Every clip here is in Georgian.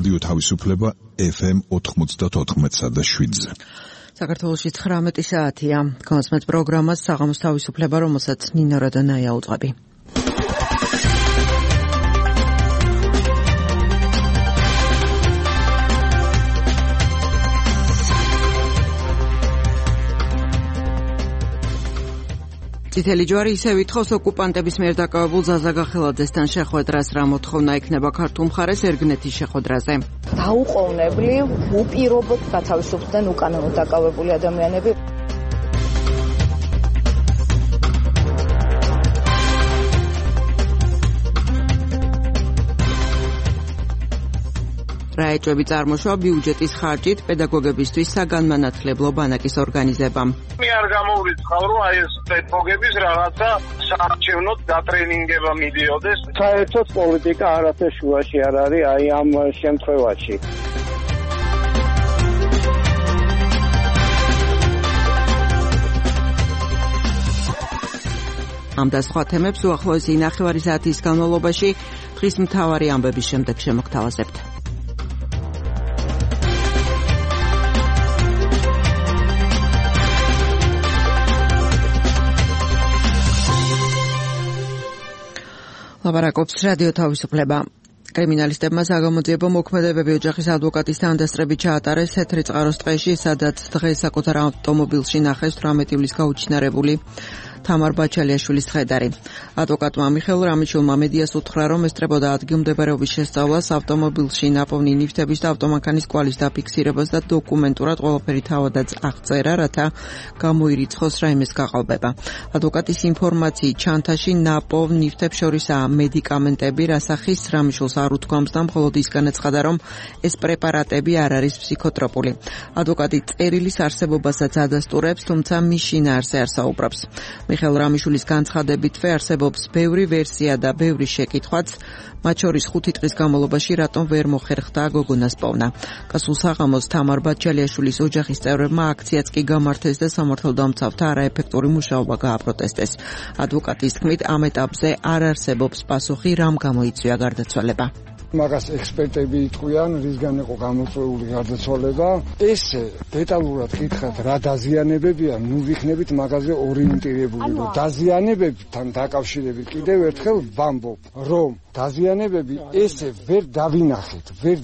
რადიო თავისუფლება FM 94.7-ზე. საქართველოში 19 საათია. Განსმეთ პროგრამას საღამოს თავისუფლება, რომელსაც ნინო რადანაია უძღვები. წითელი ჯვარი ისევ ითხოვს ოკუპანტების მიერ დაკავებულ ზაზა გახელაძესთან შეხვედრას, რა მოთხოვნა იქნება ქართულ მხარეს ერგნეთის შეხვედრაზე. დაუყოვნებლივ უპირობოდ გათავისუფლდნენ უკანონოდ დაკავებული ადამიანები. რაეჭვები წარმოშვა ბიუჯეტის ხარჯით პედაგოგებისთვის საგანმანათლებლო ბანაკის ორგანიზებამ. მე არ გამოვრიცხავ, რომ აი ეს პედაგოგების რაღაცა საარჩევნოდ დატრენინგება მიდიოდეს. საერთოდ პოლიტიკა არაფერ შუაში არ არის აი ამ შემთხვევაში. ამ და სხვა თემებს უახლოესი ნახევარი საათის განმავლობაში დღის მთავარი ამბების შემდეგ შემოგთავაზებთ. ლაპარაკობს რადიო თავისუფლება. კრიმინალისტებმა საგამოძიებო მოქმედებები ოჯახის ადვოკატის თანდასწრებით ჩაატარეს თეთრი წყაროს ტყეში, სადაც დღეს საკუთარ ავტომობილში ნახეს 18 ივლისს გაუჩინარებული თამარ ბაჩალიაშვილის ცხედარი. ადვოკატმა მიხეილ რამიშვილმა მედიას უთხრა, რომ ესწრებოდა ადგილმდებარეობის შესწავლას, ავტომობილში ნაპოვნი ნივთების და ავტომანქანის კვალის დაფიქსირებას და დოკუმენტურად ყველაფერი თავადაც აღწერა, რათა გამოირიცხოს რაიმეს გაყალბება. ადვოკატის ინფორმაციით ჩანთაში ნაპოვნ ნივთებს შორისაა მედიკამენტები, რასახის რამიშვილს არ უთქვამს და მხოლოდ ის განაცხადა, რომ ეს პრეპარატები არ არის ფსიქოტროპული. ადვოკატი წერილის არსებობასაც ადასტურებს, თუმცა მის შინაარსზე არ საუბრობს. მიხეილ რამიშვილის განცხადებითვე არსებობს ბევრი ვერსია და ბევრი შეკითხვაც, მათ შორის 5 დღის განმავლობაში რატომ ვერ მოხერხდა გოგონას პოვნა. გასულ საღამოს თამარ ბაჩალიაშვილის ოჯახის წევრებმა აქციაც კი გამართეს და სამართალდამცავთა არაეფექტური მუშაობა გააპროტესტეს. ადვოკატის თქმით, ამ ეტაპზე არ არსებობს პასუხი, რამ გამოიწვია გარდაცვალება. მაგას ექსპერტები იტყვიან, რისგან იყო გამოწვეული გარდაცვალება. ეს დეტალურად კითხავთ, რა დაზიანებებია, ნუ ვიქნებით მაგაზე ორიენტირებული. დაზიანებებთან დაკავშირებით კიდევ ერთხელ ვამბობ, რომ დაზიანებები ესე ვერ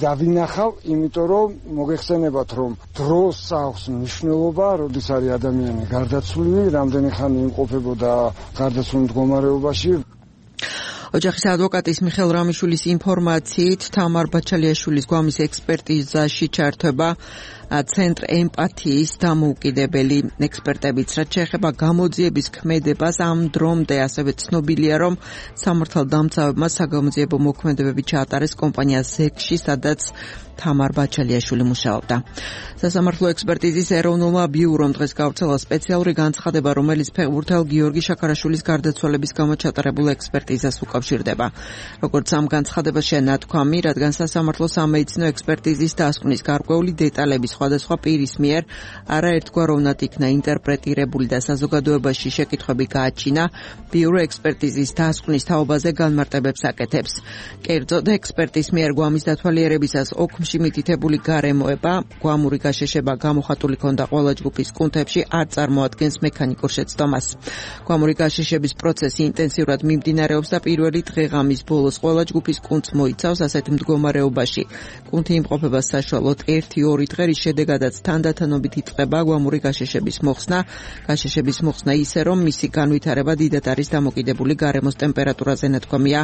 დავინახავ, იმიტომ რომ მოგეხსენებათ, რომ დროს აქვს მნიშვნელობა, როდის არის ადამიანი გარდაცვლილი, რამდენი ხანი იმყოფებოდა გარდაცვლილ მდგომარეობაში. ოჯახის ადვოკატის მიხეილ რამიშვილის ინფორმაციით თამარ ბაჩალიაშვილის გვამის ექსპერტიზაში ჩართვება ცენტრ ემპათიის დამოუკიდებელი ექსპერტებიც, რაც შეეხება გამოძიების ქმედებას, ამ დრომდე ასევე ცნობილია, რომ სამართალდამცავებმა საგამოძიებო მოქმედებები ჩაატარეს კომპანია ზეკში, სადაც თამარ ბაჩალიაშვილი მუშაობდა. სასამართლო ექსპერტიზის ეროვნულმა ბიურომ დღეს გავრცელა სპეციალური განცხადება, რომელიც ფეხბურთელ გიორგი შაქარაშვილის გარდაცვალების გამო ჩატარებულ ექსპერტიზას უკავშირდება. როგორც ამ განცხადებაში ნათქვამი, რადგან სასამართლო სამედიცინო ექსპერტიზის დასკვნის გარკვეული დეტალები სხვადასხვა პირის მიერ არაერთგვაროვნად იქნა ინტერპრეტირებული და საზოგადოებაში შეკითხვები გააჩინა, ბიურო ექსპერტიზის დასკვნის თაობაზე განმარტებებს აკეთებს. კერძოდ, ექსპერტის მიერ გვამის დათვალიერებისას ოქმში მითითებული გარემოება, გვამური გაშეშება გამოხატული ქონდა ყველა ჯგუფის კუნთებში, არ წარმოადგენს მექანიკურ შეცდომას. გვამური გაშეშების პროცესი ინტენსიურად მიმდინარეობს და პირველი დღე-ღამის ბოლოს ყველა ჯგუფის კუნთს მოიცავს ასეთ მდგომარეობაში. კუნთი იმყოფება საშუალოდ 1-2 დღე, რის შედეგადაც თანდათანობით იწყება გვამური გაშეშების მოხსნა ისე, რომ მისი განვითარება დიდად არის დამოკიდებული გარემოს ტემპერატურაზე, ნათქვამია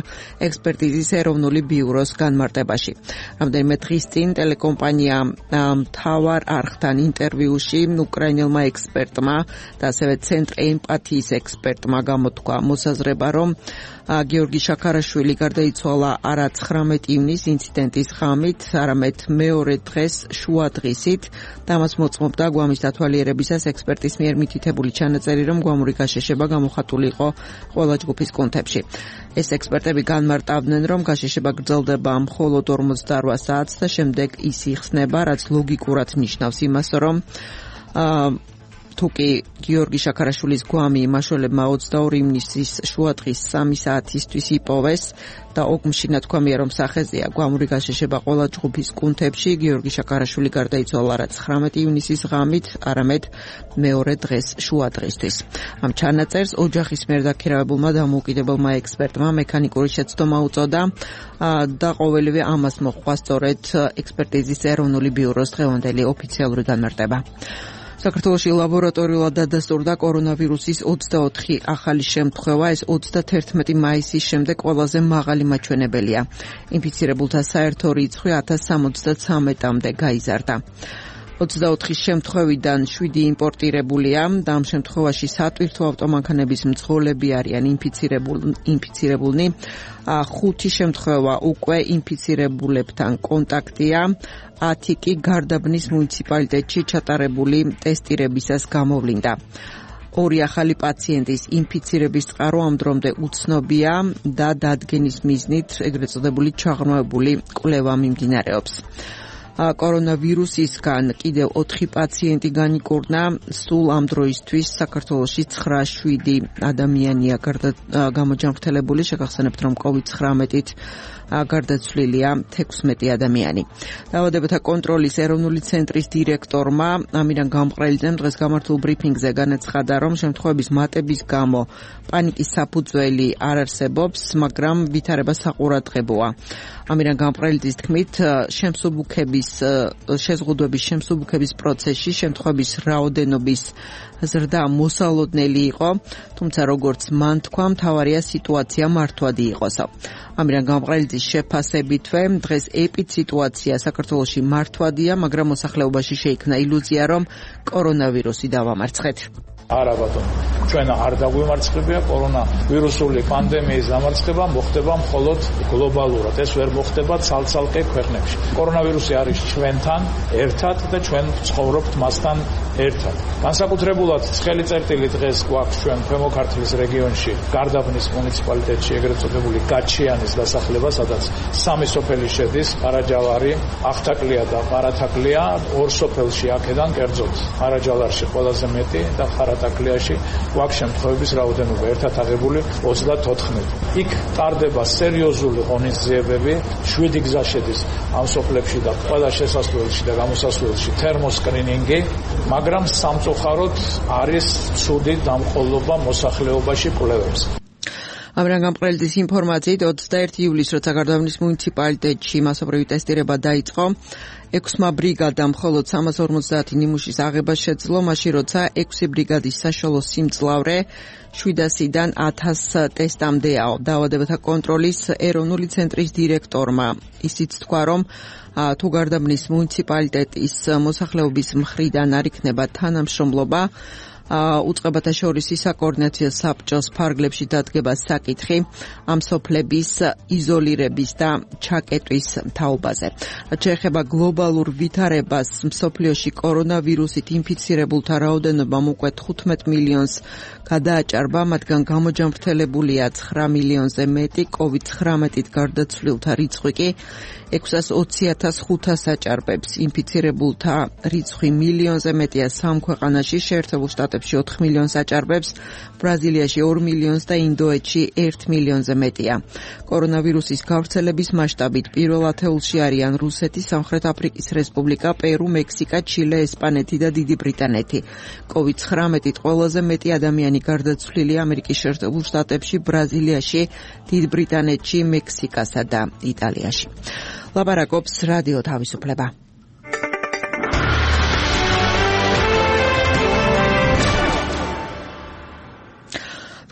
ექსპერტიზის ეროვნული ბიუროს განმარტებაში. რამდენიმე დღის წინ ტელეკომპანია მთავარ არხთან ინტერვიუში უკრაინელმა ექსპერტმა და ასევე ცენტრ ემპათიის ექსპერტმა გამოთქვა მოსაზრება, რომ გიორგი შაქარაშვილი გარდაიცვალა არა 19 ივნისს ინციდენტის ღამით, არამედ მეორე დღეს შუა დღისით და მას მოწმობდა გვამის დათვალიერებისას ექსპერტის მიერ მითითებული ჩანაწერი, რომ გვამური გაშეშება გამოხატული იყო ყველა ჯგუფის კუნთებში. ეს ექსპერტები განმარტავდნენ, რომ გაშეშება გრძელდება მხოლოდ 48 საათს და შემდეგ ის იხსნება, რაც ლოგიკურად ნიშნავს იმას, რომ თუკი გიორგი შაქარაშვილის გვამი იმაშოლებმა 22 ივნისის შუადღის 3 საათისთვის იპოვეს და ოგმში ნათქვამია რომ სახეზეა გვამური გაშეშება ყველა ჯგუფის კუნთებში გიორგი შაქარაშვილი გარდაიცვალა არა 19 ივნისის ღამით, არამედ მეორე დღეს შუადღისთვის. ამ ჩანაწერს ოჯახის მიერ დაქირავებულმა დამოუკიდებელმა ექსპერტმა მექანიკური შეცდომა უწოდა და ყოველივე ამას მოჰყვა სწორედ ექსპერტიზის ეროვნული ბიუროს დღევანდელი ოფიციალური განმარტება. საქართველოში ლაბორატორიულად დადასტურდა კორონავირუსის 24 ახალი შემთხვევა, ეს 31 მაისის შემდეგ ყველაზე მაღალი მაჩვენებელია. ინფიცირებულთა საერთო რიცხვი 1073-მდე გაიზარდა. 24 შემთხვევიდან 7 იმპორტირებულია და ამ შემთხვევაში სატვირთო ავტომანქანების მძღოლები არიან ინფიცირებულნი. 5 შემთხვევა უკვე ინფიცირებულებთან კონტაქტია, 10 კი გარდაბნის მუნიციპალიტეტში ჩატარებული ტესტირებისას გამოვლინდა. 2 ახალი პაციენტის ინფიცირების წყარო ამ დრომდე უცნობია და დადგენის მიზნით ეგრეთ წოდებული ჩაღრმავებული კვლევა მიმდინარეობს. კორონავირუსისგან კიდევ 4 პაციენტი განიკურნა, სულ ამ დროისთვის საქართველოში 9-7 ადამიანია გამოჯანმრთელებული, შეგახსენებთ რომ COVID-19-ით გარდაცვლილია 16 ადამიანი. დაავადებათა კონტროლის ეროვნული ცენტრის დირექტორმა ამირან გამყრელიძემ დღეს გამართულ ბრიფინგზე განაცხადა, რომ შემთხვევების მატების გამო პანიკის საფუძველი არ არსებობს, მაგრამ ვითარება საყურადღებოა. ამირან გამყრელიძის თქმით, შეზღუდვების შემსუბუქების პროცესში შემთხვევების რაოდენობის ზრდა მოსალოდნელი იყო, თუმცა როგორც მან თქვა, მთავარია სიტუაცია მართვადი იყოსო. ამირან გამყრელიძის შეფასებითვე დღეს ეპიდსიტუაცია საქართველოში მართვადია, მაგრამ მოსახლეობაში შეიქმნა ილუზია, რომ კორონავირუსი დავამარცხეთ. არა ბატონო, ჩვენ არ დაგვიმარცხებია კორონავირუსული პანდემიის დამარცხება მოხდება მხოლოდ გლობალურად, ეს ვერ მოხდება ცალ-ცალკე ქვეყნებში. კორონავირუსი არის ჩვენთან ერთად და ჩვენ ცხოვრობთ მასთან ერთად. განსაკუთრებულად ცხელი წერტილი დღეს გვაქვს ჩვენ ქვემო ქართლის რეგიონში, გარდაბნის მუნიციპალიტეტში, ეგრეთ წოდებული გაჩიანის დასახლება, სადაც 3 სოფელი შედის, ყარაჯალარი, ახთაკლია და ყარათაკლია, 2 სოფელში აქედან კერძოდ ყარაჯალარში ყველაზე მეტი და ყარათაკლიაში გვაქვს შემთხვევების რაოდენობა ერთად აღებული 34. იქ ტარდება სერიოზული ღონისძიებები, 7 გზა შედის ამ სოფლებში და ყველა შესასვლელში და გამოსასვლელში თერმოსკრინინგი, მაგრამ სამწუხაროდ არის ცუდი დამყოლობა მოსახლეობაში კვლევებს. ამირან გამყრელიძის ინფორმაციით 21 ივლისს როცა გარდაბნის მუნიციპალიტეტში მასობრივი ტესტირება დაიწყო, 6 ბრიგადამ მხოლოდ 350 ნიმუშის აღება შეძლო, მაშინ როცა 6 ბრიგადის საშუალო სიმძლავრე 700-დან 1000 ტესტამდეა. დაავადებათა კონტროლის ეროვნული ცენტრის დირექტორმა ისიც თქვა, რომ თუ გარდაბნის მუნიციპალიტეტის მოსახლეობის მხრიდან არ იქნება თანამშრომლობა, უწყებათა შორის საკოორდინაციო საბჭოს ფარგლებში დადგება საკითხი ამ სოფლების იზოლირების და ჩაკეტვის თაობაზე. შეეხება გლობალურ ვითარებას, მსოფლიოში კორონავირუსით ინფიცირებულთა რაოდენობა უკვე 15 მილიონს გადააჭარბა, მათგან გამოჯანმრთელებულია 9 მილიონზე მეტი, COVID-19-ით გარდაცვლილთა რიცხვი კი 620,500 აჭარბებს. ინფიცირებულთა რიცხვი მილიონზე მეტია 3 ქვეყანაში, შეერთებულ შტატებში 4 მილიონს აჭარბებს, ბრაზილიაში 2 მილიონს და ინდოეთში 1 მილიონზე მეტია. კორონავირუსის გავრცელების მასშტაბით პირველ ათეულში არიან რუსეთი, სამხრეთ აფრიკის რესპუბლიკა, პერუ, მექსიკა, ჩილე, ესპანეთი და დიდი ბრიტანეთი. COVID-19-ით ყველაზე მეტი ადამიანი გარდაცვლილია ამერიკის შეერთებულ შტატებში, ბრაზილიაში, დიდ ბრიტანეთში, მექსიკასა და იტალიაში. ლაპარაკობს რადიო თავისუფლება.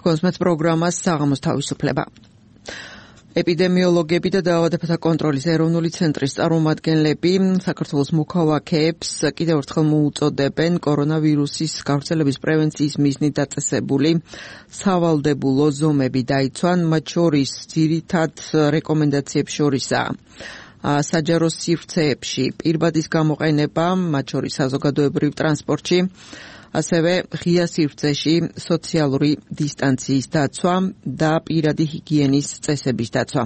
კონსმეთ პროგრამას საღამოს თავისუფლება. ეპიდემიოლოგები და დაავადებათა კონტროლის ეროვნული ცენტრის წარმომადგენლები საქართველოს მოქალაქეებს კიდევ ერთხელ მოუწოდებენ კორონავირუსის გავრცელების პრევენციის მიზნით დაწესებული სავალდებულო ზომები დაიცვან, მათ შორის ძირითად რეკომენდაციებს შორისაა საჯარო სივრცეებში პირბადის გამოყენება, მათ შორის საზოგადოებრივ ტრანსპორტში, ასევე ღია სივრცეში სოციალური დისტანციის დაცვა და პირადი ჰიგიენის წესების დაცვა.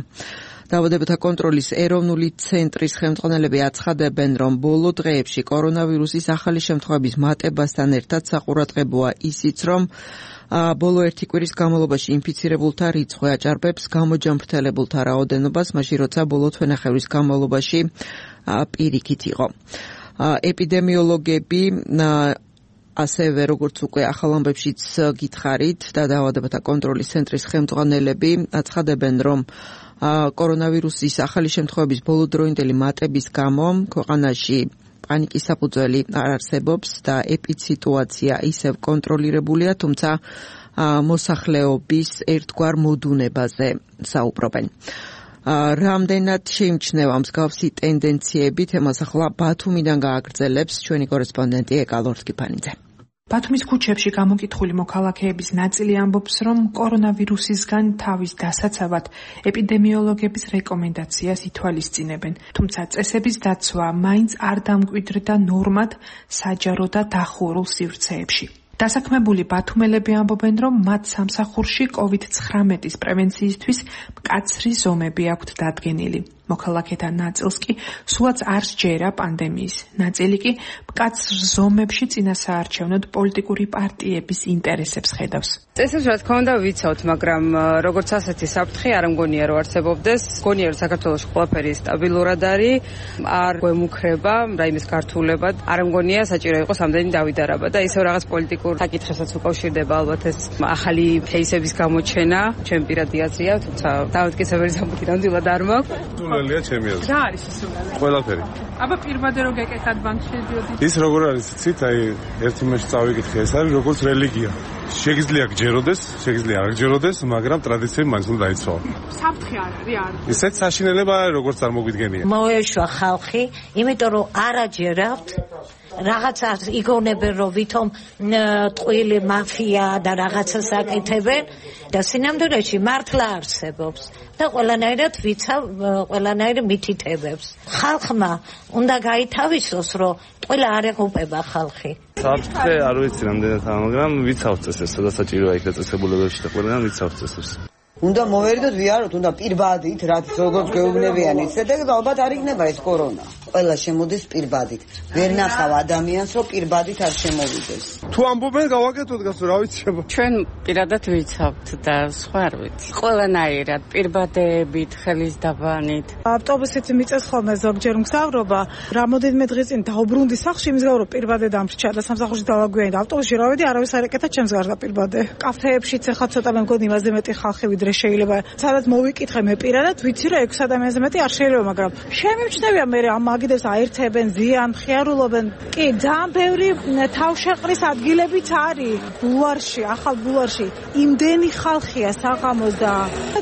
დაავადებათა კონტროლის ეროვნული ცენტრის ხელმძღვანელები აცხადებენ, რომ ბოლო დღეებში კორონავირუსის ახალი შემთხვევების მატებასთან ერთად საყურადღებოა ისიც, რომ ბოლო ერთი კვირის განმავლობაში ინფიცირებულთა რიცხვი აჭარბებს გამოჯანმრთელებულთა რაოდენობას, მაშინ როცა ბოლო თვენახევრის განმავლობაში პირიქით იყო. ეპიდემიოლოგები ასევე როგორც უკვე ახალ ამბებშიც გითხარით და დაავადებათა კონტროლის ცენტრის ხელმძღვანელები აცხადებენ, რომ კორონავირუსის ახალი შემთხვევების ბოლოდროინდელი მატების გამო ქვეყანაში პანიკის საფუძველი არ არსებობს და ეპიდსიტუაცია ისევ კონტროლირებულია, თუმცა მოსახლეობის ერთგვარ მოდუნებაზე საუბრობენ. რამდენად შეიმჩნევა მსგავსი ტენდენციები, თემას ახლა ბათუმიდან გააგრძელებს ჩვენი კორესპონდენტი ეკალორსკიფანიძე. ბათუმის ქუჩებში გამოკითხული მოქალაქეების ნაწილი ამბობს, რომ კორონავირუსისგან თავის დასაცავად ეპიდემიოლოგების რეკომენდაციას ითვალისწინებენ. თუმცა წესების დაცვა მაინც არ დამკვიდრდა ნორმად საჯარო და დახურულ სივრცეებში. დასაქმებული ბათუმელები ამბობენ, რომ მათ სამსახურში COVID-19 პრევენციისთვის მკაცრი ზომები აქვთ დადგენილი. მოქალაქეთა ნაწილს კი სულაც არ სჯერა პანდემიის. ნაწილი კი მკაცრ ზომებში წინასაარჩევნოდ პოლიტიკური პარტიების ინტერესებს ხედავს. წესებს რა თქმა უნდა ვიცავთ, მაგრამ როგორც ასეთი საფრთხე არ მგონია რომ არსებობდეს. მგონია რომ საქართველოში ყველაფერი სტაბილურად არის, არ გვემუქრება რაიმეს გართულებად, არ მგონია საჭირო იყოს ამდენი დავიდარება და ისევ რაღაც პოლიტიკურ საკითხებსაც უკავშირდება ალბათ ეს ახალი кейსების გამოჩენა. ჩემ პირადი აზრია, თუმცა დამტკიცებელი ზამთრი ნამდვილად არ მაქვს. სულელია ჩემი აზრით. რა არის სულელი? ყველაფერი. აბა პირბადე რო გეკეთათ ბანკში შედიოდით. ის როგორ არის იცით, აი ერთი მეში წავიკითხე, ეს არის როგორც რელიგია. შეგიძლია გჯეროდეს, შეგიძლია არ გჯეროდეს, მაგრამ ტრადიციები მაინც უნდა დაიცვალოს. საფრთხე არ არის. ისეთ საშინელება არის, როგორც არ მოგვიდგენია. მოეშვა ხალხი, იმიტომ რომ არაჯერავთ რაღაცა იგონებენ, რომ ვითომ ტყვილი მაფია და რაღაცას აკეთებენ და სინამდვილეში მართლა არსებობს და ყველანაირად ვიცავ ყველანაირ მითითებებს. ხალხმა უნდა გაითავისოს, რომ ტყილა არ ეღუპება ხალხი. საფრთხე არ ვიცი რამდენად, მაგრამ ვიცავ წესებს, სადაც საჭიროა იქ დაწესებულებებში და ყველგან ვიცავ წესებს. უნდა მოვერიდოთ, ვიაროთ, უნდა პირბადით, რაც როგორც გვეუბნებიან ისე და ალბათ არ იქნება ეს კორონა. ყველა შემოდის პირბადით. ვერ ნახავ ადამიანს, რომ პირბადით არ შემოვიდეს. თუ ამბობენ გავაკეთოთ გასო, რა ვიცი. ჩვენ პირადად ვიცავთ და სხვა არ ვიცი. ყველანაირად პირბადებით, ხელის დაბანით. ავტობუსით მიწეს ხოლმე ზოგჯერ მგზავრობა. რამოდენიმე დღის წინ დაუბრუნდი სახლში, იმის გამო რომ პირბადე დამრჩა და სამსახურში დავაგვიანე და ავტობუსში რა ვედი, არავის არ ეკეთა ჩემს გარდა პირბადე. კაფეებშიც ახლა ცოტა მე მგონი იმაზე მეტი ხალხი ვიდრე შეიძლება. სადაც მოვიკითხე მე პირადად, ვიცი რომ 6 ადამიანზე მეტი არ შეიძლება, მაგრამ შემიმჩნევია მე ამ მაგიდებს აერთებენ, ზიან, ხიარულობენ. კი, ძალიან ბევრი თავშეყრის ადგილებიც არის ბულვარში, ახალ ბულვარში. იმდენი ხალხია საღამოს და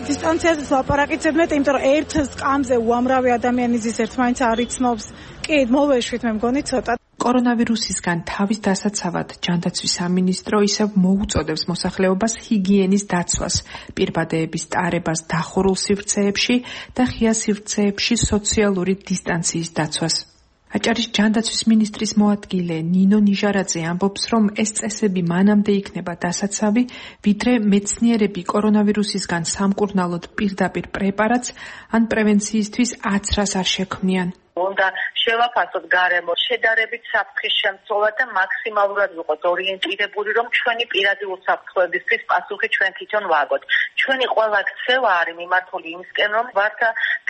დისტანციაზეც ლაპარაკიცებ მეტი, იმიტომ რომ ერთ სკამზე უამრავი ადამიანი ზის ერთმანეთს არ იცნობს. კი, მოვეშვით მე მგონი ცოტა. კორონავირუსისგან თავის დასაცავად ჯანდაცვის სამინისტრო ისევ მოუწოდებს მოსახლეობას ჰიგიენის დაცვას, პირბადეების ტარებას დახურულ სივრცეებში და ღია სივრცეებში სოციალური დისტანციის დაცვას. აჭარის ჯანდაცვის მინისტრის მოადგილე ნინო ნიჟარაძე ამბობს, რომ ეს წესები მანამდე იქნება დასაცავი, ვიდრე მეცნიერები კორონავირუსისგან სამკურნალოდ პირდაპირ პრეპარატს ან პრევენციისთვის აცრას არ შექმნიან. უნდა შევაფასოთ გარემო შედარებით საფრთხის შემცველად და მაქსიმალურად ვიყოთ ორიენტირებული, რომ ჩვენი პირადი უსაფრთხოებისთვის პასუხი ჩვენ თვითონ ვაგოთ. ჩვენი ყველა ქცევა არის მიმართული იმისკენ, რომ ვართ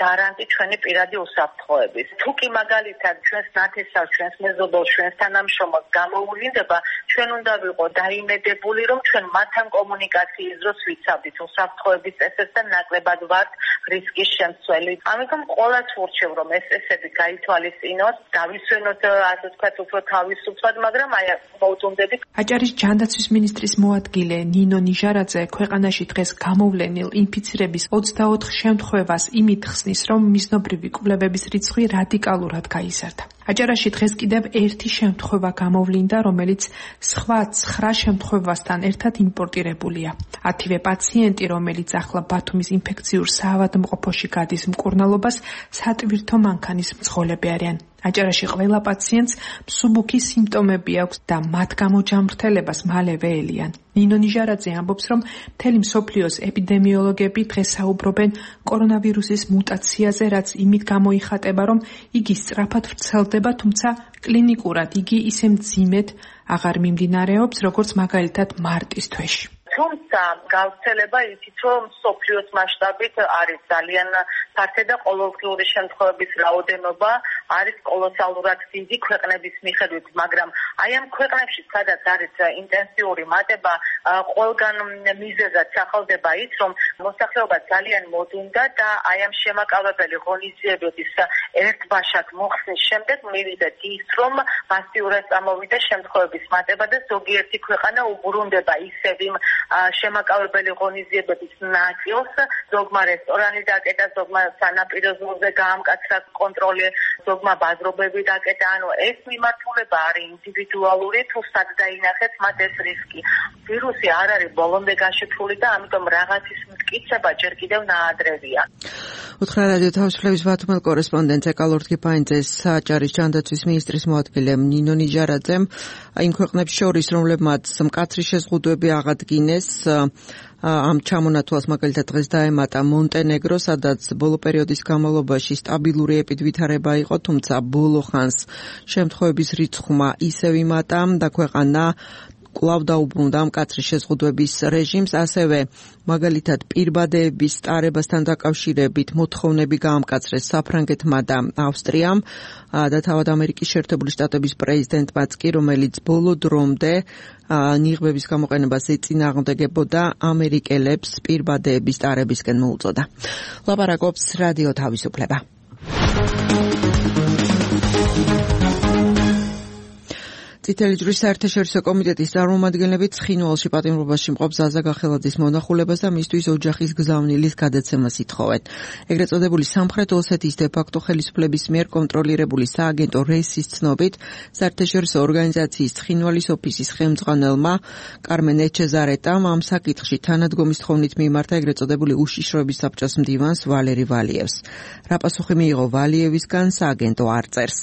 გარანტი ჩვენი პირადი უსაფრთხოების. თუ კი მაგალითად ჩვენს ნათესავს, ჩვენს მეზობელს, ჩვენს თანამშრომელს გამოუვლინდება, ჩვენ უნდა ვიყოთ დაიმედებული, რომ ჩვენ მათთან კომუნიკაციის დროს ვიცავდით უსაფრთხოების წესებს და ნაკლებად ვართ რისკის შემცველი. ამიტომ ყოველას ვურჩევ, რომ ეს წესები გაითვალისწინოთ, დავისვენოთ, ასე ვთქვათ, უფრო თავისუფლად, მაგრამ აი მოვუწუნდებით. აჭარის ჯანდაცვის მინისტრის მოადგილე ნინო ნიჟარაძე ქვეყანაში დღეს გამოვლენილ ინფიცირების 24 შემთხვევას იმით ხსნის, რომ მიზნობრივი კვლევების რიცხვი რადიკალურად გაიზარდა. აჭარაში დღეს კიდევ ერთი შემთხვევა გამოვლინდა, რომელიც სხვა 9 შემთხვევასთან ერთად იმპორტირებულია. 10-ვე პაციენტი, რომელიც ახლა ბათუმის ინფექციურ საავადმყოფოში გადის მკურნალობას, სატვირთო მანქანის მძღოლები არიან. აჭარაში ყველა პაციენტს მსუბუქი სიმპტომები აქვს და მათ გამოჯამრთელებას მალევე ელიან. ნინო ნიჟარაძე ამბობს, რომ მთელი მსოფლიოს ეპიდემიოლოგები დღეს საუბრობენ კორონავირუსის მუტაციაზე, რაც იმით გამოიხატება, რომ იგი სწრაფად ვრცელდება, თუმცა კლინიკურად იგი ისე მძიმედ აღარ მიმდინარეობს, როგორც მაგალითად მარტის თვეში. თუმცა გავრცელება იცით, რომ მსოფლიოს მასშტაბით არის ძალიან ფართე და ყოველდღიური შემთხვევების რაოდენობა არის კოლოსალურად დიდი ქვეყნების მიხედვით, მაგრამ აი ამ ქვეყნებში, სადაც არის ინტენსიური მატება, ყველგან მიზეზად სახელდება ის, რომ მოსახლეობა ძალიან მოდუნდა და აი ამ შემაკავებელი ღონისძიებების ერთბაშად მოხსნის შემდეგ მივიდეთ ის, რომ მასიურად წამოვიდა შემთხვევების მატება და ზოგიერთი ქვეყანა უბრუნდება ისევ იმ შემაკავებელი ღონისძიებების ნაწილს, ზოგმა რესტორანი დაკეტა, ზოგმა სანაპირო ზოლზე გაამკაცრა კონტროლი, ზოგმა ბაზრობები დაკეტა, ანუ ეს მიმართულება არის ინდივიდუალური, თუ სად დაინახეთ მათ ეს რისკი. ვირუსი არ არის ბოლომდე გაშიფრული და ამიტომ რაღაცის მტკიცება ჯერ კიდევ ნაადრევია. უთხრა რადიო თავისუფლების ბათუმელ კორესპონდენტს ეკალორდ კიფაინძეს საჭარის ჯანდაცვის ministris მოადგილემ ნინო ნიჟარაძემ იმ ქვეყნებს შორის, რომლებმაც მკაცრი შეზღუდვები აღადგინეს, ამ ჩამონათვალს მაგალითად დღეს დაემატა მონტენეგრო, სადაც ბოლო პერიოდის განმავლობაში სტაბილური ეპიდვითარება იყო, თუმცა ბოლო ხანს შემთხვევების რიცხვმა ისევ იმატა და ქვეყანა კვლავ დაუბრუნდა მკაცრი შეზღუდვების რეჟიმს, ასევე მაგალითად პირბადეების სტარებასთან დაკავშირებით მოთხოვნები გაამკაცრეს საფრანგეთმა და ავსტრიამ და თავად ამერიკის შეერთებული შტატების პრეზიდენტმაც კი, რომელიც ბოლო დრომდე ნიღბების გამოყენებას ეწინააღმდეგებოდა, ამერიკელებს პირბადეების სტარებისკენ მოუწოდა. ლაპარაკობს რადიო თავისუფლება. წითელი ჯვრის საერთაშორისო კომიტეტის წარმომადგენლები ცხინვალში პატიმრობაში მყოფ ზაზა გახელაძის მონახულებას და მისთვის ოჯახის გზავნილის გადაცემას ითხოვენ. ეგრეთ წოდებული სამხრეთ ოსეთის დე-ფაქტო ხელისუფლების მიერ კონტროლირებული სააგენტო რესის ცნობით, საერთაშორისო ორგანიზაციის ცხინვალის ოფისის ხელმძღვანელმა კარმენ ეჩეზარეტამ ამ საკითხში თანადგომის თხოვნით მიმართა ეგრეთ წოდებული უშიშროების საბჭოს მდივანს ვალერი ვალიევს. რა პასუხი მიიღო ვალიევისგან, სააგენტო არ წერს.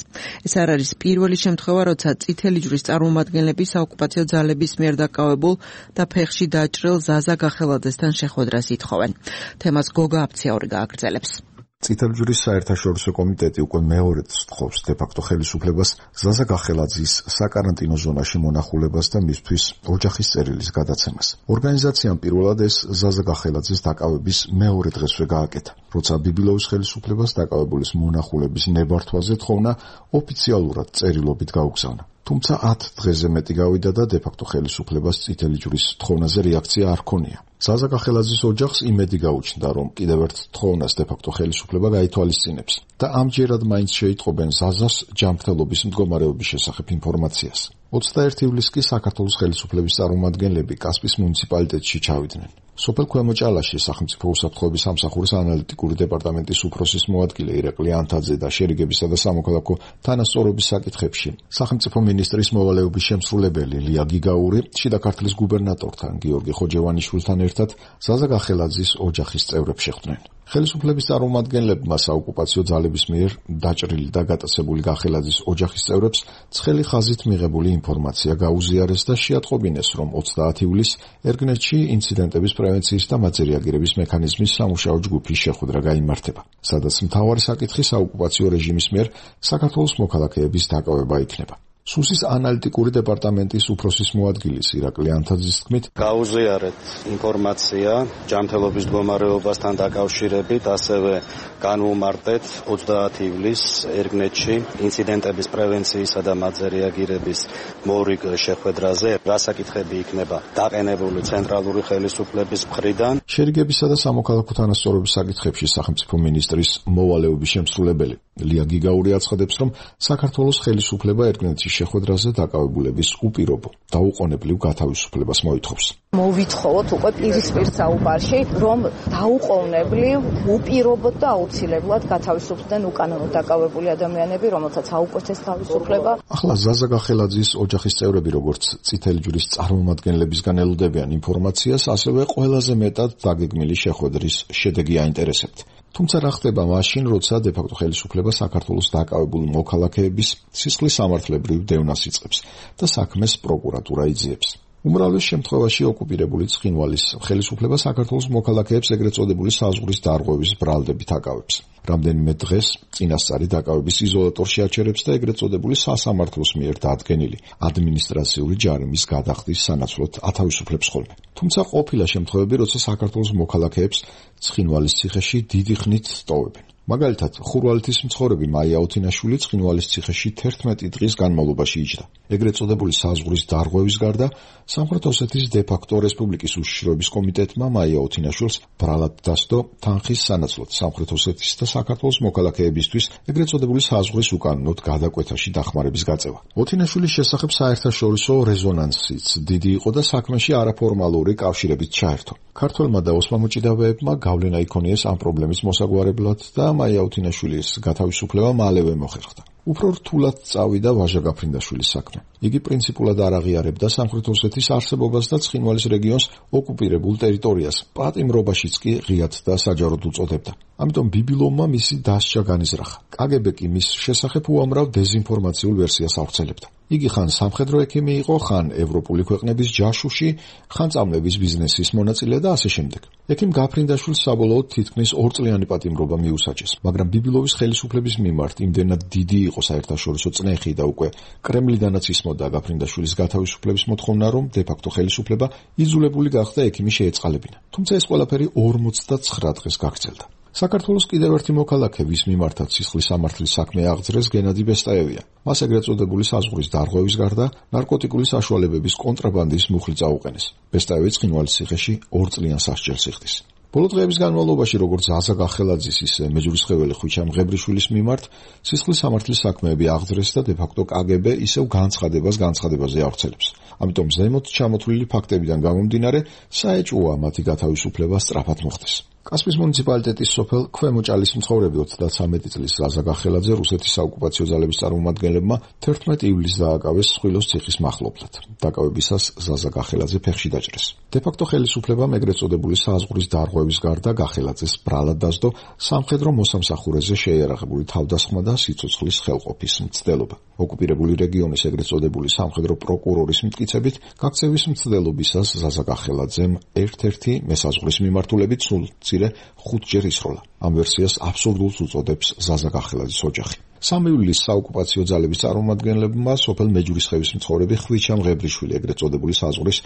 ეს არ არის პირველი შემთხვევა, როცა წითელი წარმომადგენლები საოკუპაციო ძალების მიერ დაკავებულ და ფეხში დაჭრილ ზაზა გახელაძესთან შეხვედრას ითხოვენ. თემას გოგა აფციაური გააგრძელებს. წითელი ჯვრის საერთაშორისო კომიტეტი უკვე მეორედ სთხოვს დე-ფაქტო ხელისუფლებას ზაზა გახელაძის საკარანტინო ზონაში მონახულებას და მისთვის ოჯახის წერილის გადაცემას. ორგანიზაციამ პირველად ეს ზაზა გახელაძის დაკავების მეორე დღესვე გააკეთა, როცა ბიბილოვის ხელისუფლებას დაკავებულის მონახულების ნებართვაზე თხოვნა ოფიციალურად წერილობით გაუგზავნა. თუმცა 10 დღეზე მეტი გავიდა და დე-ფაქტო ხელისუფლებას წითელი ჯვრის თხოვნაზე რეაქცია არ ჰქონია. ზაზა გახელაძის ოჯახს იმედი გაუჩნდა, რომ კიდევ ერთ თხოვნას დე-ფაქტო ხელისუფლება გაითვალისწინებს და ამჯერად მაინც შეიტყობენ ზაზას ჯანმრთელობის მდგომარეობის შესახებ ინფორმაციას. 21 ივლისს კი საქართველოს ხელისუფლების წარმომადგენლები კასპის მუნიციპალიტეტში ჩავიდნენ. სოფელ ქვემო ჭალაში სახელმწიფო უსაფრთხოების სამსახურის ანალიტიკური დეპარტამენტის უფროსის მოადგილე ირაკლი ანთაძე და შერიგებისა და სამოქალაქო თანასწორობის საკითხებში სახელმწიფო მინისტრის მოვალეობის შემსრულებელი ლია გიგაური შიდა ქართლის გუბერნატორთან გიორგი ხოჯევანიშვილთან ერთად ზაზა გახელაძის ოჯახის წევრებს შეხვდნენ. ხელისუფლების წარმომადგენლებმა საოკუპაციო ძალების მიერ დაჭრილი და გატაცებული გახელაძის ოჯახის წევრებს ცხელი ხაზით მიღებული ინფორმაცია გაუზიარეს და შეატყობინეს, რომ 30 ივლისს ერგნეთში ინციდენტების პრევენციის და მათზე რეაგირების მექანიზმის სამუშაო ჯგუფის შეხვედრა გაიმართება, სადაც მთავარი საკითხი საოკუპაციო რეჟიმის მიერ საქართველოს მოქალაქეების დაკავება იქნება. სუსის ანალიტიკური დეპარტამენტის უფროსის მოადგილის ირაკლი ანთაძის თქმით, გაუზიარეთ ინფორმაცია ჯანმრთელობის მდგომარეობასთან დაკავშირებით, ასევე განვუმარტეთ 30 ივლისს ერგნეთში ინციდენტების პრევენციისა და მათზე რეაგირების მორიგ შეხვედრაზე, რა საკითხები იქნება დაყენებული ცენტრალური ხელისუფლების მხრიდან. შერიგებისა და სამოქალაქო თანასწორობის საკითხებში სახელმწიფო მინისტრის მოვალეობის შემსრულებელი ლია გიგაური აცხადებს, რომ საქართველოს ხელისუფლება ერგნეთში შეხვედრაზე დაკავებულების უპირობო და უყონებლივ გათავისუფლებას მოითხოვს. მოვითხოვოთ უკვე პირისპირ საუბარში, რომ დაუყოვნებლივ, უპირობოდ და აუცილებლად გათავისუფლდნენ უკანონოდ დაკავებული ადამიანები, რომელთაც აუკვეთეს თავისუფლება. ახლა ზაზა გახელაძის ოჯახის წევრები, როგორც წითელი ჯვრის წარმომადგენლებისგან ელოდებიან ინფორმაციას, ასევე ყველაზე მეტად დაგეგმილი შეხვედრის შედეგი აინტერესებთ. თუმცა რა ხდება მაშინ, როცა დე-ფაქტო ხელისუფლება საქართველოს დაკავებულ მოქალაქეების სისხლის სამართლებრივ დევნას იწყებს და საქმეს პროკურატურა იძიებს. უმრავლეს შემთხვევაში ოკუპირებული ცხინვალის ხელისუფლება საქართველოს მოქალაქეებს ეგრეთ წოდებული საზღვრის დარღვევის ბრალდებით აკავებს. რამდენიმე დღეს წინასწარი დაკავების იზოლატორში აჩერებს და ეგრეთ წოდებული სასამართლოს მიერ დადგენილი ადმინისტრაციული ჯარიმის გადახდის სანაცვლოდ ათავისუფლებს ხოლმე. თუმცა ყოფილა შემთხვევები, როცა საქართველოს მოქალაქეებს ცხინვალის ციხეში დიდი ხნით ტოვებენ. მაგალითად, ხურვალეთის მცხოვრები მაია ოთინაშვილი ცხინვალის ციხეში 11 დღის განმავლობაში იჯდა. ეგრეთ წოდებული საზღვრის დარღვევის გარდა, სამხრეთ ოსეთის დე-ფაქტო რესპუბლიკის უშიშროების კომიტეტმა მაია ოთინაშვილს ბრალად დასდო თანხის სანაცვლოდ სამხრეთ ოსეთის და საქართველოს მოქალაქეებისთვის ეგრეთ წოდებული საზღვრის უკანონოდ გადაკვეთაში დახმარების გაწევა. ოთინაშვილის შესახებ საერთაშორისო რეზონანსიც დიდი იყო და საქმეში არაფორმალური კავშირებით ჩაერთო. ქართველმა და ოსმალმოჭიდავეებმა გავლენა იქონიეს ამ პრობლემის მოსაგვარებლად და მაია ოთინაშვილის გათავისუფლება მალევე მოხერხდა. უფრო რთულად წავიდა ვაჟა გაფრინდაშვილის საქმე. იგი პრინციპულად არ აღიარებდა სამხრეთ ოსეთის არსებობას და ცხინვალის რეგიონს ოკუპირებულ ტერიტორიას, პატიმრობაშიც კი ღიად და საჯაროდ უწოდებდა. ამიტომ ბიბილოვმა მისი დასჯა განიზრახა. კგბ კი მის შესახებ უამრავ დეზინფორმაციულ ვერსიას ავრცელებდა. იგი ხან სამხედრო ექიმი იყო, ხან ევროპული ქვეყნების ჯაშუში, ხან წამლების ბიზნესის მონაწილე და ასე შემდეგ. ექიმ გაფრინდაშვილს საბოლოოდ თითქმის 2 წლიანი პატიმრობა მიუსაჯეს, მაგრამ ბიბილოვის ხელისუფლების მიმართ იმდენად დიდი იყო საერთაშორისო წნეხი და უკვე კრემლიდანაც ისმოდა გაფრინდაშვილის გათავისუფლების მოთხოვნა, რომ დე-ფაქტო ხელისუფლება იძულებული გახდა ექიმი შეეწყალებინა. თუმცა ეს ყველაფერი 49 დღეს გაგრძელდა. საქართველოს კიდევ ერთი მოქალაქე, ვის მიმართაც სისხლის სამართლის საქმე აღძრეს, გენადი ბესტაევია. მას ეგრეთ წოდებული საზღვრის დარღვევის გარდა ნარკოტიკული საშუალებების კონტრაბანდის მუხლი წაუყენეს. ბესტაევი ცხინვალის ციხეში 2 წლიან სასჯელს იხდის. ბოლო დღეების განმავლობაში, როგორც ზაზა გახელაძის, ისე მეჯვრისხეველი ხვიჩა მღებრიშვილის მიმართ სისხლის სამართლის საქმეები აღძრეს და დე-ფაქტო კგბ ისევ განცხადებაზე ავრცელებს. ამიტომ ზემოთ ჩამოთვლილი ფაქტებიდან გამომდინარე, საეჭვოა მათი გათავისუფლება სწრაფად მოხდეს. კასპის მუნიციპალიტეტის სოფელ ქვემოჭალის მცხოვრები 33 წლის ზაზა გახელაძე რუსეთის საოკუპაციო ძალების წარმომადგენლებმა 11 ივლისს დააკავეს სხვილოს ციხის მახლობლად. დაკავებისას ზაზა გახელაძე ფეხში დაჭრეს. დე-ფაქტო ხელისუფლებამ ეგრეთ წოდებული საზღვრის დარღვევის გარდა გახელაძეს ბრალად დასდო სამხედრო მოსამსახურეზე შეიარაღებული თავდასხმა და სიცოცხლის ხელყოფის მცდელობა. ოკუპირებული რეგიონის ეგრეთ წოდებული სამხედრო პროკურორის მტკიცებით, გაქცევის მცდელობისას ზაზა გახელაძემ ერთ-ერთი მესაზღვრის მიმართულებით სულ 5-ჯერ ისროლა. ამ ვერსიას აბსურდულს უწოდებს ზაზა გახელაძის ოჯახი. 3 ივლისს საოკუპაციო ძალების წარმომადგენლებმა სოფელ მეჯვრისხევის მცხოვრები ხვიჩა მღებრიშვილი ეგრეთ წოდებული საზღვრის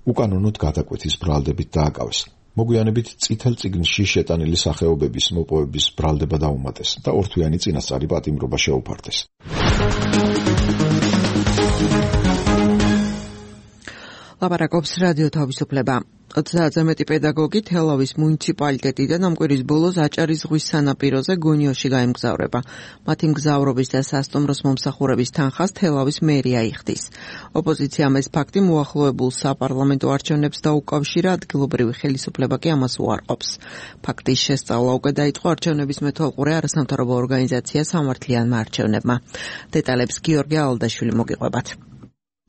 უკანონოდ გადაკვეთის ბრალდებით დააკავეს. მოგვიანებით წითელ წიგნში შეტანილი სახეობების მოპოვების ბრალდება დაუმატეს და ორთვიანი წინასწარი პატიმრობა შეუფარდეს. ლაპარაკობს რადიო თავისუფლება. 30-ზე მეტი პედაგოგი თელავის მუნიციპალიტეტიდან ამ კვირის ბოლოს აჭარის ზღვის სანაპიროზე გონიოში გაემგზავრება. მათი მგზავრობის და სასტუმროს მომსახურების თანხას თელავის მერია იხდის. ოპოზიციამ ეს ფაქტი მოახლოებულ საპარლამენტო არჩევნებს დაუკავშირა, ადგილობრივი ხელისუფლება კი ამას უარყოფს. ფაქტის შესწავლა უკვე დაიწყო არჩევნების მეთვალყურე არასამთავრობო ორგანიზაცია სამართლიანმა არჩევნებმა. დეტალებს გიორგი ალდაშვილი მოგიყვებათ.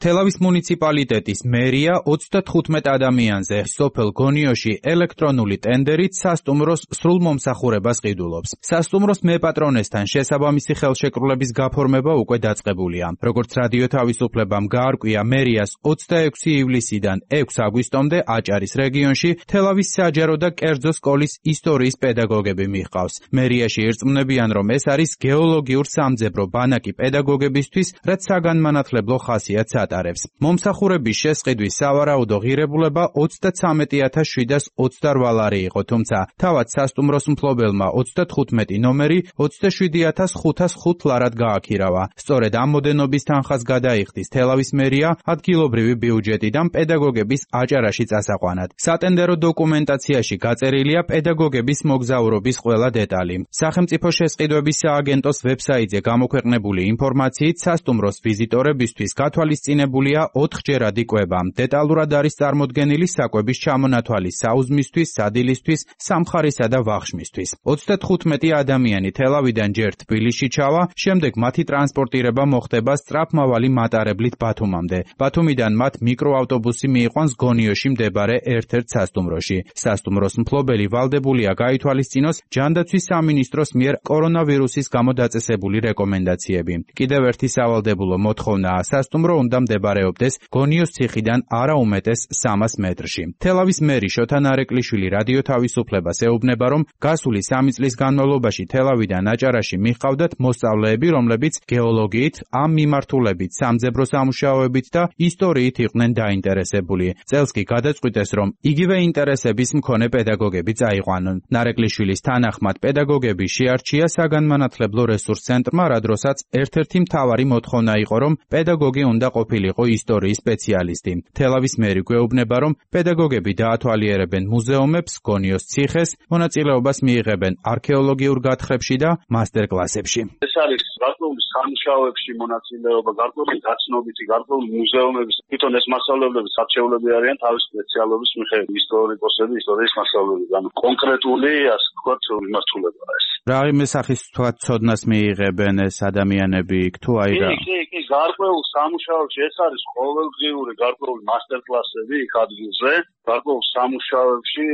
თელავის მუნიციპალიტეტის მერია 35 ადამიანზე სოფელ გონიოში ელექტრონული ტენდერით სასტუმროს სრულ მომსახურებას ყიდულობს. სასტუმროს მეპატრონესთან შესაბამისი ხელშეკრულების გაფორმება უკვე დაწყებულია. როგორც რადიო თავისუფლებამ გაარკვია, მერიას 26 ივლისიდან 6 აგვისტომდე აჭარის რეგიონში თელავის საჯარო და კერძო სკოლის ისტორიის პედაგოგები მიჰყავს. მერიაში ირწმუნებიან, რომ ეს არის გეოლოგიურ სამძებრო ბანაკი პედაგოგებისთვის, რაც საგანმანათლებლო ხასიათს ატარებს. მომსახურების შესყიდვის სავარაუდო ღირებულება 33728 ლარი იყო, თუმცა თავად სასტუმროს მფლობელმა 35 ნომერი 27505 ლარად გააქირავა. სწორედ ამ მოდენობის თანხას გადაიხდის თელავის მერია ადგილობრივი ბიუჯეტიდან პედაგოგების აჭარაში წასაყვანად. სატენდერო დოკუმენტაციაში გაწერილია პედაგოგების მოგზაურობის ყველა დეტალი. სახელმწიფო შესყიდვების სააგენტოს ვებსაიტზე გამოქვეყნებული ინფორმაციით სასტუმროს ვიზიტორებისთვის გათვალისწინებულია მოხსენებულია 4-ჯერადი კვება. დეტალურად არის წარმოდგენილი საკვების ჩამონათვალი საუზმისთვის, სადილისთვის, სამხარისა და ვახშმისთვის. 35 ადამიანი თელავიდან ჯერ თბილისში ჩავა, შემდეგ მათი ტრანსპორტირება მოხდება სწრაფმავალი მატარებლით ბათუმამდე. ბათუმიდან მათ მიკროავტობუსი მიიყვანს გონიოში მდებარე ერთ-ერთ სასტუმროში. სასტუმროს მფლობელი ვალდებულია გაითვალისწინოს ჯანდაცვის სამინისტროს მიერ კორონავირუსის გამო დაწესებული რეკომენდაციები. კიდევ ერთი სავალდებულო მოთხოვნაა, სასტუმრო უნდა მდებარეობდეს გონიოს ციხიდან არა უმეტეს 300 მეტრში. თელავის მერი შოთა ნარეკვლიშვილი რადიო თავისუფლებას ეუბნება, რომ გასული 3 წლის განმავლობაში თელავიდან აჭარაში მიჰყავდათ მოსწავლეები, რომლებიც გეოლოგიით, ამ მიმართულებით, სამძებრო სამუშაოებით და ისტორიით იყვნენ დაინტერესებული. წელს კი გადაწყვიტეს, რომ იგივე ინტერესების მქონე პედაგოგები წაიყვანონ. ნარეკვლიშვილის თანახმად პედაგოგები შეარჩია საგანმანათლებლო რესურს ცენტრმა, რა დროსაც ერთ-ერთი მთავარი მოთხოვნა იყო, რომ პედაგოგი უნდა ყოფილიყო ისტორიის სპეციალისტი. თელავის მერი გვეუბნება, რომ პედაგოგები დაათვალიერებენ მუზეუმებს, გონიოს ციხეს, მონაწილეობას მიიღებენ არქეოლოგიურ გათხრებში და მასტერკლასებში. ეს არის გარკვეული სამუშაოებში მონაწილეობა, გარკვეული დაცნობითი, გარკვეული მუზეუმების, თვითონ ეს მასწავლებლები სარჩეულები არიან თავის სპეციალობის მიხედვით, ისტორიკოსები, ისტორიის მასწავლებლები, ანუ კონკრეტული, ასე ვთქვათ, მიმართულებაა ეს. რა იმესახის თქვა ცოდნას მიიღებენ ეს ადამიანები თუ აი რა? კი, გარკვეულ სამუშაოებში ეს არის ყოველდღიური გარკვეული მასტერკლასები იქ ადგილზე, გარკვეულ სამუშაოებში,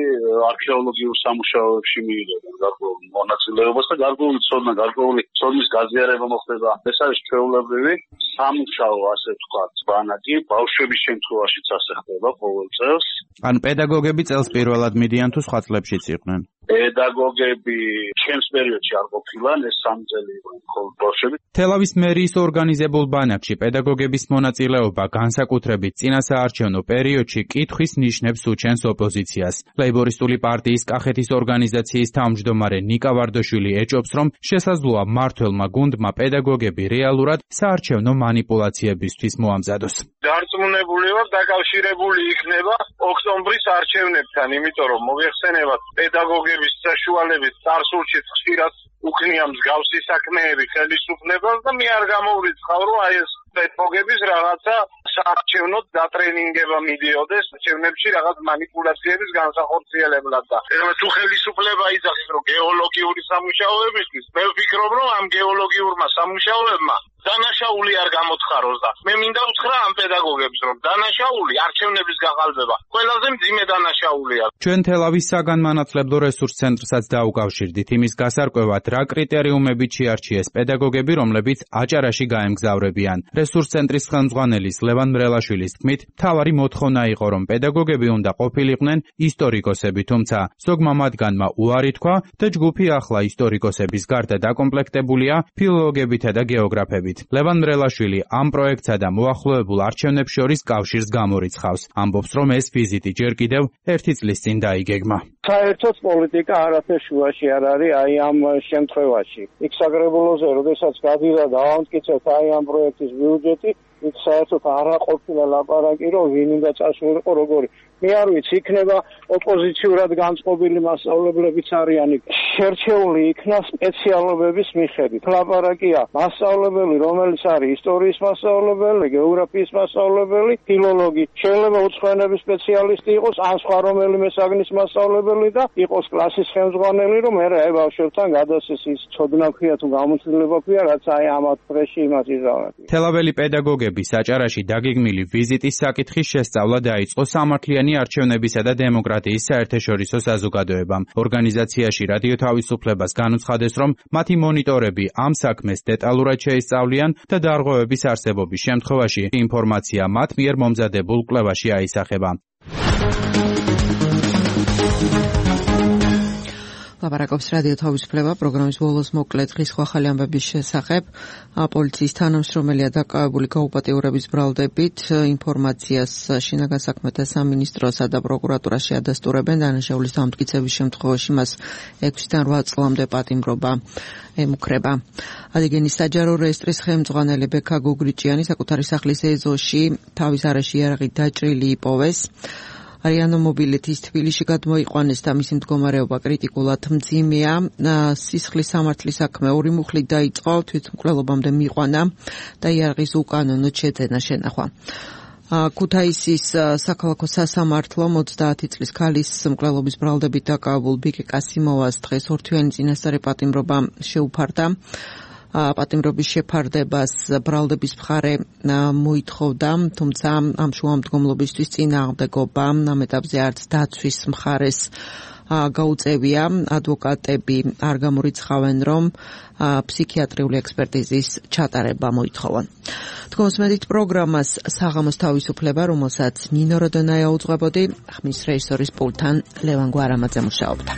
არქეოლოგიურ სამუშაოებში მიიღებენ გარკვეულ მონაწილეობას და გარკვეული ცოდნა, გარკვეული ცოდნის გაზიარება მოხდება. ეს არის ჩვეულებრივი სამუშაო, ასე ვთქვათ, ბანაკი, ბავშვების შემთხვევაშიც ასე ხდება ყოველ წელს. ან პედაგოგები წელს პირველად მიდიან თუ სხვა წლებშიც იყვნენ? პედაგოგები ჩემს პერიოდში არ ყოფილან, ეს 3 წელი იყვნენ მხოლოდ ბავშვები. თელავის მერიის ორგანიზებულ ბანაკში პედაგოგების მონაწილეობა განსაკუთრებით წინასაარჩევნო პერიოდში კითხვის ნიშნებს უჩენს ოპოზიციას. ლეიბორისტული პარტიის კახეთის ორგანიზაციის თავმჯდომარე ნიკა ვარდაშვილი ეჭობს, რომ შესაძლოა მმართველმა გუნდმა პედაგოგები რეალურად საარჩევნო манипуляციებისთვის მოამზადოს. დარწმუნებული ვარ, დაკავშირებული იქნება ოქტომბრის არჩევნებთან, იმიტომ რომ მოიხსენებათ პედაგოგების საშუალებით წარსულში ხშირად უქნია მსგავსი საქმეები ხელისუფლებას და მე არ გამოვრიცხავ, რომ აი ეს პედაგოგების რაღაცა საარჩევნო დატრენინგება მიდიოდეს არჩევნებში რაღაც манипуляციების განსახორციელებლად და თუ ხელისუფლება იძახის, რომ გეოლოგიური სამუშაოებისთვის, მე ვფიქრობ, რომ ამ გეოლოგიურმა სამუშაოებმა დანაშაული არ გამოთხაროს და მე მინდა უთხრა ამ პედაგოგებს, რომ დანაშაული არჩევნების გაყალბება ყველაზე მძიმე დანაშაულია. ჩვენ თელავის საგანმანათლებლო რესურს ცენტრსაც დაუკავშირდით იმის გასარკვევად, რა კრიტერიუმებით შეარჩიეს პედაგოგები, რომლებიც აჭარაში გაემგზავრებიან. რესურს ცენტრის ხელმძღვანელის ლევან მრელაშვილის თქმით, მთავარი მოთხოვნა იყო, რომ პედაგოგები უნდა ყოფილიყვნენ ისტორიკოსები, თუმცა ზოგმა მათგანმა უარი თქვა და ჯგუფი ახლა ისტორიკოსების გარდა დაკომპლექტებულია ფილოლოგებითა და გეოგრაფებით. ლევან მრელაშვილი ამ პროექტსა და მოახლოებულ არჩევნებს შორის კავშირს გამორიცხავს. ამბობს, რომ ეს ვიზიტი ჯერ კიდევ 1 წლის წინ დაიგეგმა. საერთოდ პოლიტიკა არაფერ შუაში არ არის აი ამ შემთხვევაში. იქ საგრებულოზე, როდესაც გადიდა დავამტკიცეთ აი ამ პროექტის ბიუჯეტი, იქ საერთოდ არ ყოფილა ლაპარაკი, რომ ვინ უნდა წასულიყო როგორი. მე არ ვიცი, იქნება ოპოზიციურად განწყობილი მასწავლებლებიც არიან იქ. შერჩეული იქნა სპეციალობების მიხედვით. ლაპარაკია მასწავლებელი, რომელიც არის ისტორიის მასწავლებელი, გეოგრაფიის მასწავლებელი, ფილოლოგი, შეიძლება უცხოენების სპეციალისტი იყოს, ან სხვა რომელიმე საგნის მასწავლებელი და იყოს კლასის ხელმძღვანელი, რომ მე აი ბავშვებთან გადასცეს ის ცოდნა ქვია თუ გამოცდილება ქვია, რაც აი ამათ ფრეში იმას იზამთრებს. თელაველი პედაგოგები საჭარაში დაგეგმილი ვიზიტის საკითხის შესწავლა დაიწყო სამართლიანი არჩევნებისა და დემოკრატიის საერთაშორისო საზოგადოებამ. ორგანიზაციაში რადიო თავისუფლებას განუცხადეს, რომ მათი მონიტორები ამ საქმეს დეტალურად შეისწავლიან და დარღვევების არსებობის შემთხვევაში ინფორმაცია მათ მიერ მომზადებულ კვლევაში აისახება. ლაპარაკობს რადიო თავისუფლება პროგრამის ბოლოს მოკლე დღის ახალი ამბების შესახებ. პოლიციის თანამშრომელია დაკავებული გაუპატიურების ბრალდებით. ინფორმაციას შინაგან საქმეთა სამინისტროსა და პროკურატურაში ადასტურებენ. დანაშაულის დამტკიცების შემთხვევაში მას 6-დან 8 წლამდე პატიმრობა ემუქრება. ადიგენის საჯარო რეესტრის ხელმძღვანელი ბექა გუგრიჭიანი საკუთარი სახლის ეზოში თავის არეში იარაღით დაჭრილი იპოვეს. არიანო მობილეთის თბილისში გადმოიყვანეს და მისი მდგომარეობა კრიტიკულად მძიმეა. სისხლის სამართლის საქმე 2 მუხლით დაიწყო, თვითმკვლელობამდე მიიყვანა და იარაღის უკანონოდ შეძენა შენახვა. ქუთაისის საქალაქო სასამართლო 30 წლის ქალის მკვლელობის ბრალდებით დაკავებულ ბიკე კასიმოვას დღეს ორთვიანი წინასწარი პატიმრობა შეუფარდა. პატიმრობის შეფარდებას ბრალდების მხარე მოითხოვდა, თუმცა ამ შუამდგომლობისთვის წინააღმდეგობა ამ ეტაპზე არც დაცვის მხარეს გაუწევია. ადვოკატები არ გამორიცხავენ, რომ ფსიქიატრიული ექსპერტიზის ჩატარება მოითხოვონ. თქვენს პროგრამას საღამოს თავისუფლება, რომელსაც ნინო როდონაია უძღვებოდი, ხმის რეჟისორის პულტთან ლევან გვარამაძე მუშაობდა.